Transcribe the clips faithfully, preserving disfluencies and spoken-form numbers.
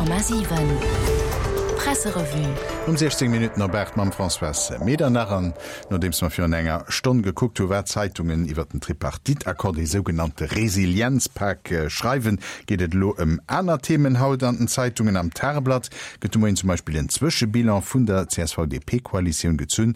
Komma siwen Presserevue. Um siechzéng Minutten op aacht mam Françoise Medernach. An nodeems mer virun enger Stonn gekuckt hu wat d'Zeitungen iwwer den Tripartite-Accord, dee sougenannte Resilienzpak, schreiwen, geet et elo ëm aner Themen haut an den Zeitungen. Am Tageblatt gëtt de Moien zum Beispill en Zwëschebilan vun der C S V-D P-Koalitioun gezunn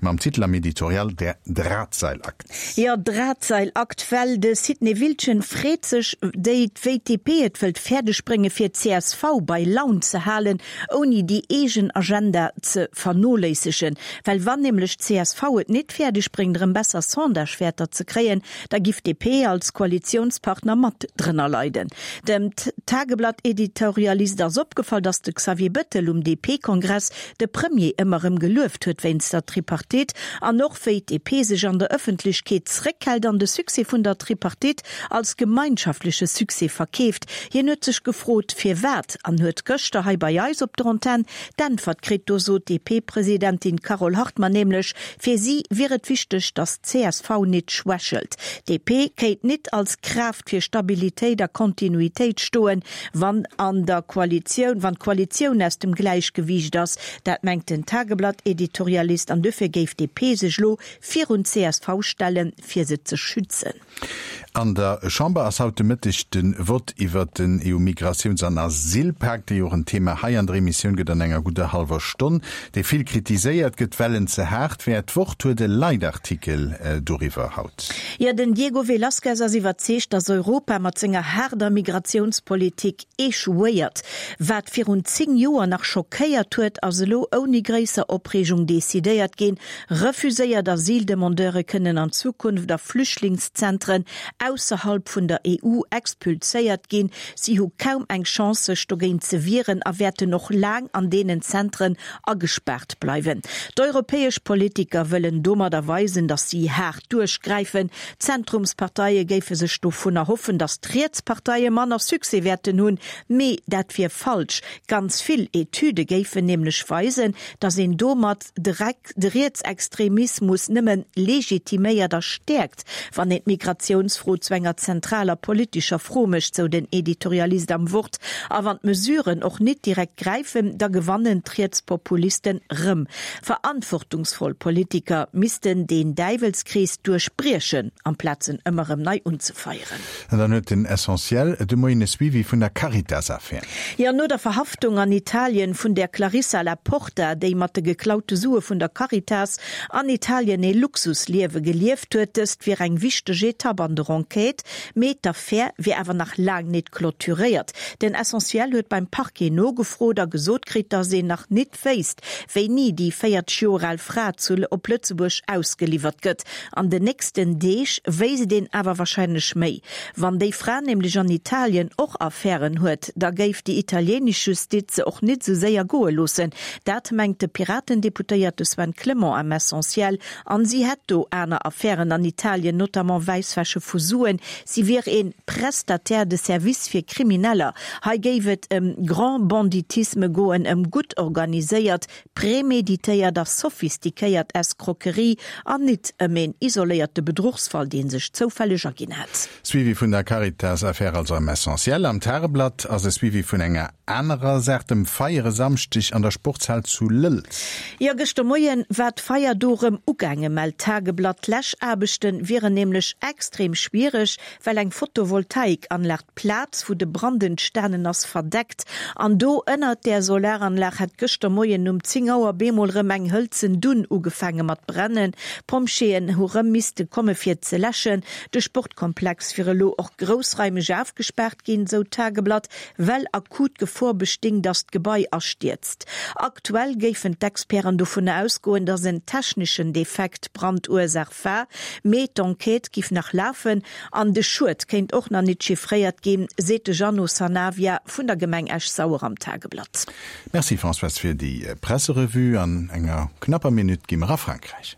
mam Titel am Editorial Der Drahtseilakt. Jo, Drahtseilakt, well de Sidney Wiltgen freet sech, déi wéi d'D P et wëllt fäerdeg brénge fir d'C S V bei Laun ze halen, ouni déi eegen Agenda ze vernoléissegen. Well wann nämlech d'C S V et nit fäerdeg bréngt erëm besser Sondagewäerter ze kréien, da giff d'D P als Koalitiounspartner mat drënner leiden. Dem Tageblatt-Editorialist ass opgefall, datt de Xavier Bettel um D P-Kongress de Premier ëmmer erëm gelueft huet wéinst der Tripartite an och wéi d'D P sech an der Ëffentlechkeet zréckhält an de Succès vun der Tripartite als gemeinschaftleche Succès verkeeft. Hien huet sech gefrot, firwat, an huet gëschter hei bei eis op der Antenn d'Äntwert kritt. Do sot d'D P-Presidentin Carole Hartmann nämlech, fir si wier et wichteg, datt d'C S V nit schwächelt. D P kéint nit als Kraaft fir Stabilitéit a Kontinuitéit stoen, wann an der Koalitioun, wann d'Koalitioun aus dem Gläichgewiicht ass. Dat mengt den Tageblatt-Editorialist an dofir géif d'D P sech lo virun d'C S V stellen, fir se ze schützen. An der Chamber ass haut de Mëtteg de Vott iwwer den E U-Migratiouns an Asylpak, dee jo och en Thema hei an der Emissioun gëtt an enger gudder hallwer Stonn, dee vill kritiséiert gëtt, well en ze haart wär. D'Wort huet e Leitartikel doriwwer haut. Jo, den Diego Velázquez ass iwwerzeegt, datt Europa mat senger haarder Migratiounspolitik echouéiert. Wat virun zéng Joer nach schockéiert huet, ass elo ouni gréisser Opreegung decidéiert ginn. Refuséiert Asyldemandeure kënnen an Zukunft a Flüchtlingszentren ausserhalb vun der E U expulséiert ginn. Si hu kaum eng Chance, sech dogéint ze wieren a wäerten och laang an deenen Zentren agespaart bleiwen. D'europäesch Politiker wëllen domadder weisen, datt si haart duerchgräifen. D'Zentrumsparteie géife sech dovun erhoffen, datt d'Rietsparteie manner Succès wäerten hunn, mee dat wier falsch. Ganz vill Etüde géifen nämlech weisen, datt een domat de Rietsextremismus nëmme legitiméiert a stäerkt, wann een d'Migratiounsfro zu enger zentraler politescher Fro mécht, sou den Editorialist am Wort. A wann d'Mesuren och net direkt gräifen, da gewannen d'Rietspopulisten rëm. Verantwortungsvoll Politiker missten den Däiwelskrees duerchbriechen, amplaz en ëmmer erëm nei unzefeieren. An dann huet den Essentiel de Moien e Suivi vun der Caritas-Affär. Jo, no der Verhaftung an Italien vun der Clarissa La Porta, déi mat de geklaute Sue vun der Caritas an Italien e Luxusliewe gelieft huet, dëst wier eng wichteg Etapp an der Enquête, mee d'Affär wier awer nach laang net clôturéiert. Den Essentiel huet beim Parquet nogefrot a gesot kritt, datt een nach net wéisst, wéini déi véierzeg Joer al Fra zu op Lëtzebuerg ausgeliwwert gëtt. An den nächsten Deeg wéisst een awer warscheinlech méi. Wann déi Fra nämlech an Italien och Affären huet, da géif déi italienesch Justiz se och net sou séier goe loossen. Dat mengt de Piraten-Deputéierte Sven Clement am Essentiel. An si hätt do aner Affären an Italien, notamment Wäisswäsche vu Suen. Si wier e Prestataire de services fir Krimineller. Hei géif et ëm Grand Banditisme goen, ëm gutt organiséiert, preméditéiert a sophistiquéiert Escroquerie an nit ëm een isoléierte Bedruchsfall, dee sech zoufälleg erginn hätt. Suivi vun der Caritas-Affär also am Essentiel. Am Tageblatt ass e Suivi vun enger anerer Saach, dem Feier e Samschdeg an der Sportshal zu Lëlz. Jo, gëschter Moien war d'Feier do rëm ugaangen, mellt d'Tageblatt. D'Läschaarbechte wieren nämlech extrem schwiereg, well eng Photovoltaikanlag d'Plaz, wou de Brand entstanen ass, verdeckt. An do ënnert där Solaranlag hätt gëschter Moien um zéng Auer bemol rëm eng hëlzen Dunn ugefaange mat brennen. D'Pompjeeën hu rëm misste komme fir ze läschen. De Sportkomplex wier elo och groussraimeg ofgespaart ginn, sou d'Tageblatt, well akut Gefor besting, datt d'Gebai astierzt. Aktuell géifen d'Experten dovun ausgoen, datt en techneschen Defekt d'Brandursaach war, mee d'Enquête giff nach lafen an de Schued kéint och nach net chiffréiert ginn, seet de Jeannot Sanavia vun der Gemeng Esch-Sauer am Tageblatt. Merci Françoise fir déi Presserevue. An enger knapper Minutt gi mer a Frankräich.